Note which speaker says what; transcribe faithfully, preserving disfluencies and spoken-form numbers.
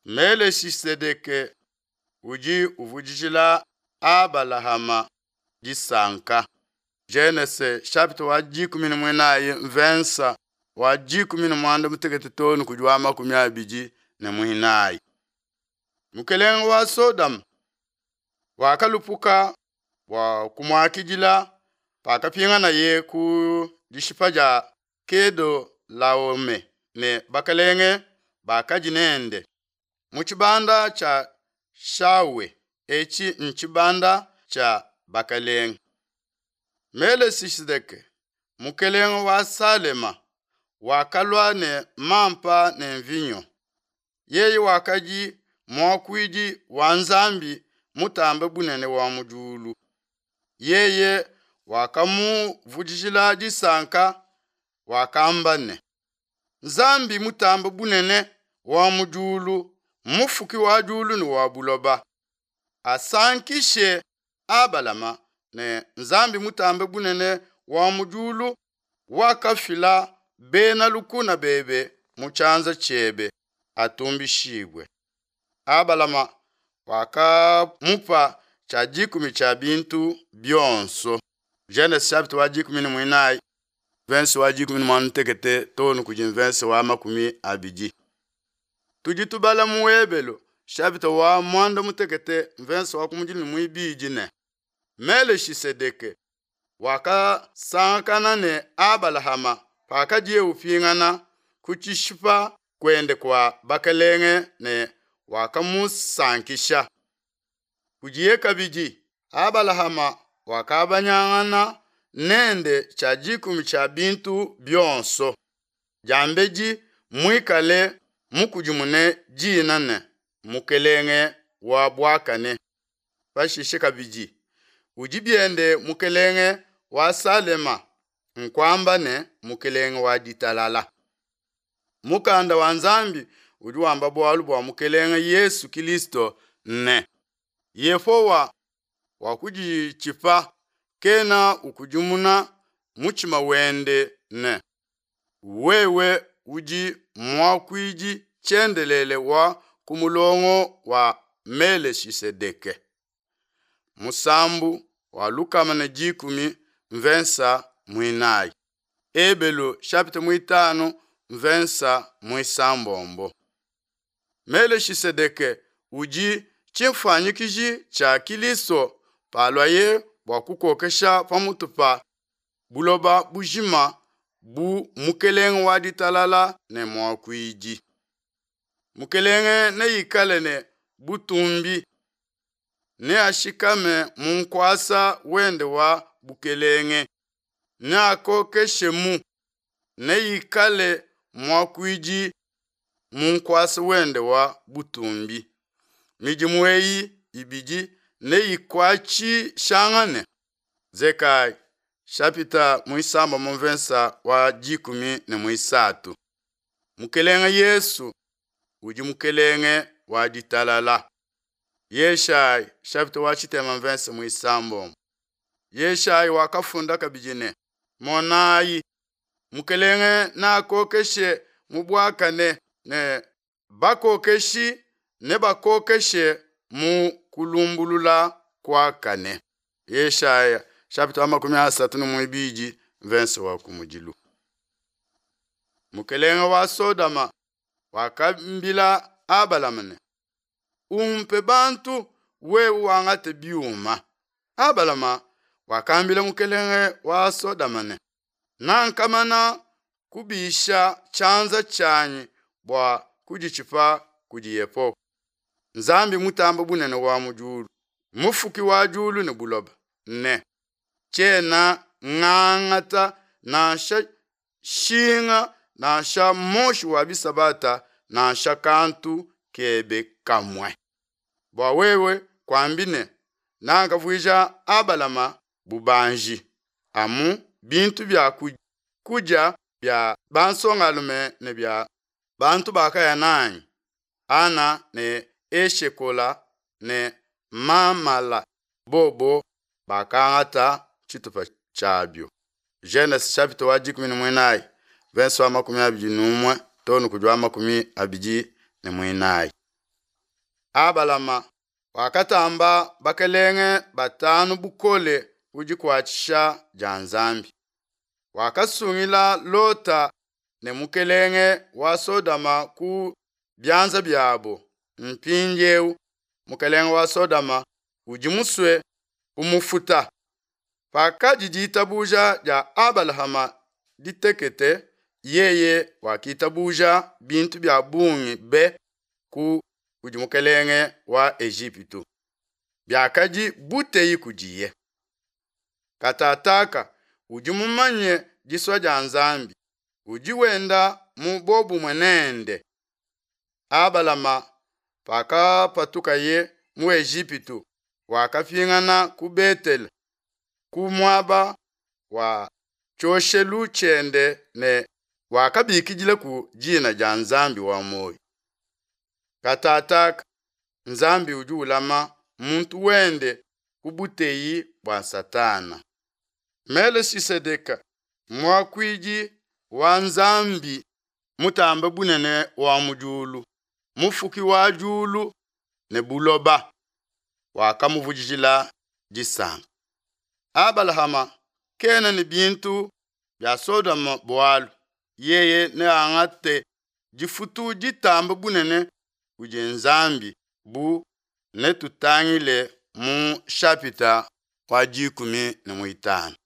Speaker 1: Meleshisedeke udi uvudijila Abalahama disanka. Genese chapitre wa dikumi ne muinayi mvensa wa dikumi ne muanda mutekete too ne kudi wa makumi abidi ne muinayi. Mukelenge wa Sodoma wakalupuka bua kumuakidila pakapinganaye ku dishipa dia Kedolaome ne bakelenge bakadi nende mu tshibanda tshia Shawe, etshi ntshibanda tshia bakelenge. Meleshisedeke mukelenge wa Salema wakalua ne mampa ne mvinyo. Yeye wakadi muakuidi wa Nzambi Mutambe Bunene wa mu diulu. Yeye wakamuvudijila disanka, wakamba ne, Nzambi Mutambe Bunene wa mu diulu, Mufuki wa diulu ne wa buloba, asankishe Abalama ne Nzambi Mutambe Bunene wa mu diulu wakafila bena lukuna bebe mu tshianza tshiebe, atumbishibue. Abalama wakamupa tshia dikumi tshia bintu bionso. Genese chapitre wa dikumi ne muinayi verse wa dikumi ne muanda mutekete too ne kudi mverse wa makumi abidi. Tudi tubala mu Ebelu chapitre wa muanda mutekete mverse wa kumudilu ne muibidi ne Meleshisedeke wakasangakana ne Abalahama pakadiye upingana ku tshishipa kuende kua bakelenge ne wakamusankisha. Kudiye kabidi Abalahama wakabanyangana nende tshia dikumi tshia bintu bionso, diambedi muikale mukudimune dina ne, Mukelenge wa buakane, pashishe kabidi udi biende Mukelenge wa Salema, nkuamba ne, Mukelenge wa ditalala. Mukanda wa Nzambi udi wamba bualu bua Mukelenge Yesu Kilisto ne, Yehowa wakuditshipa, kena ukudimuna mutshima wende ne, Wewe udi muakuidi tshiendelele wa ku mulongo wa Meleshisedeke. Musambu wa lukama ne dikumi mvensa muinayi. Ebelu chapitre muitanu mvensa muisambombo. Meleshisedeke udi tshifuanyikiji tshia Kilisto paluaye bua kukokesha pamutu pa buloba bujima bu Mukelenge wa ditalala ne muakuidi. Mukelenge neikale ne butumbi, neashikame mu nkuasa wende wa bukelenge, neakokeshemu, neikale muakuidi mu nkuasa wende wa butumbi. Midimu eyi ibidi neyikuatshishangane. Zekayi chapitre muisambombo mvensa wa dikumi ne muisatu. Mukelenge Yesu udi mukelenge wa ditalala. Yeshayi chapitre wa tshitema mvensa muisambombo. Yeshayi wakafunda kabidi ne, Monayi, mukelenge neakokeshe mu buakane ne bakokeshi nebakokeshe mu kulumbulula kuakane. Yeshaya chapitre wa makumi asatu ne muibidi mvensa wa kumudilu. Mukelenge wa Sodoma wakambila Abalama ne, Umpe bantu wewe wangate biuma. Abalama wakambila mukelenge wa Sodoma ne, Nankamana kubisha tshianza tshianyi bua kuditshipa kudi Yehowa, Nzambi Mutambe Bunene wa mu diulu, Mufuki wa diulu ne buloba, ne tshiena ngangata nansha shinga nansha moshi wa bisabata nansha kantu kebe kamue. Bua wewe kuambi ne, Nakavuija Abalama bubanji, amu bintu bia kudia bia bansongalume ne bia bantu bakaya nanyi, Ana ne Eshekola ne Mamala, bobo bakangata tshitupa tshiabio. Genese chapitre wa dikumi ne muinayi verse wa makumi abidi ne umue too ne kudi wa makumi abidi ne muinayi. Abalama wakatamba bakelenge batanu bukole ku dikuatshisha dia Nzambi. Wakasungila Lota ne mukelenge wa Sodoma ku bianza biabo. Mpindiewu mukelenge wa Sodoma udi musue kumufuta. Pakadi ditabuja dia Abalahama ditekete, yeye wakitabuja bintu bia bungi be ku kudi mukelenge wa Ejipitu, biakadi buteyi kudiye. Katataka udi mumanye disua dia Nzambi, udi wenda mu buobumue nende. Abalama pakapatukaye mu Ejipitu, wakapingana ku Betele, ku muaba wa tshioshelu tshiende ne wakabikidilaku dina dia Nzambi wa muoyo. Katataka Nzambi udi ulama muntu wende ku buteyi bua Satana. Melekisedeke muakuidi wa Nzambi Mutambe Bunene wa mu diulu, mufuki wa diulu ne buloba, wakamuvudijila disanka. Abalahama kena ne bintu bia Sodoma bualu, yeye neangate difutu ditambe bunene kudi Nzambi bu netutangile mu nshapita wa dikumi ne muitanu.